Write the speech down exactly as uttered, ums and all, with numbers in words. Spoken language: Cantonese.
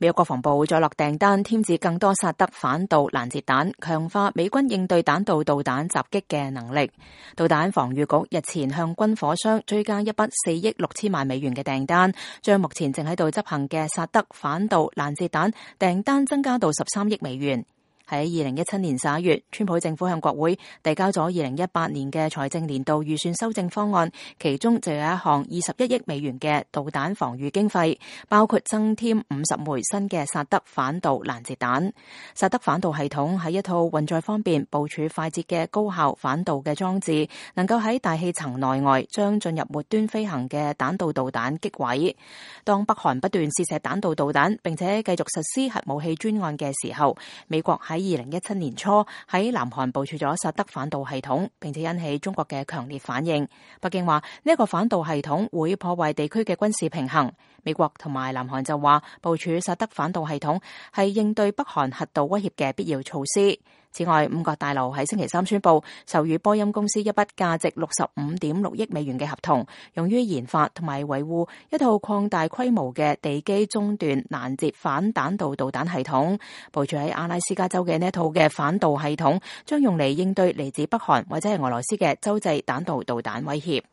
美國國防部再落訂單添置更多薩德反導攔截彈，強化美軍應對彈道導彈襲擊嘅能力。導彈防禦局日前向軍火商追加一筆四億六千萬美元嘅訂單，將目前正喺度執行嘅薩德反導攔截彈訂單增加到十三億美元。喺二零一七年十一月，川普政府向國會遞交咗二零一八年嘅財政年度預算修正方案，其中就有一項二十一億美元嘅導彈防禦經費，包括增添五十枚新嘅薩德反導攔截彈。薩德反導系統係一套運載方便、部署快捷嘅高效反導嘅裝置，能夠喺大氣層內外將進入末端飛行嘅彈道導彈擊毀。當北韓不斷試射彈道導彈，並且繼續實施核武器專案嘅時候，美國喺二零一七年初喺南韓部署咗薩德反導系統，並且引起中國嘅強烈反應。北京話呢一個反導系統會破壞地區嘅軍事平衡。美國同埋南韓就話部署薩德反導系統係應對北韓核導威脅嘅必要措施。此外，五角大樓喺星期三宣布授予波音公司一筆價值六十五點六億美元嘅合同，用於研發同埋維護一套擴大規模嘅地基中段攔截反彈道導彈系統。部署喺阿拉斯加州嘅呢一套嘅反導系統將用嚟應對嚟自北韓或者係俄羅斯嘅洲際彈道導彈威脅。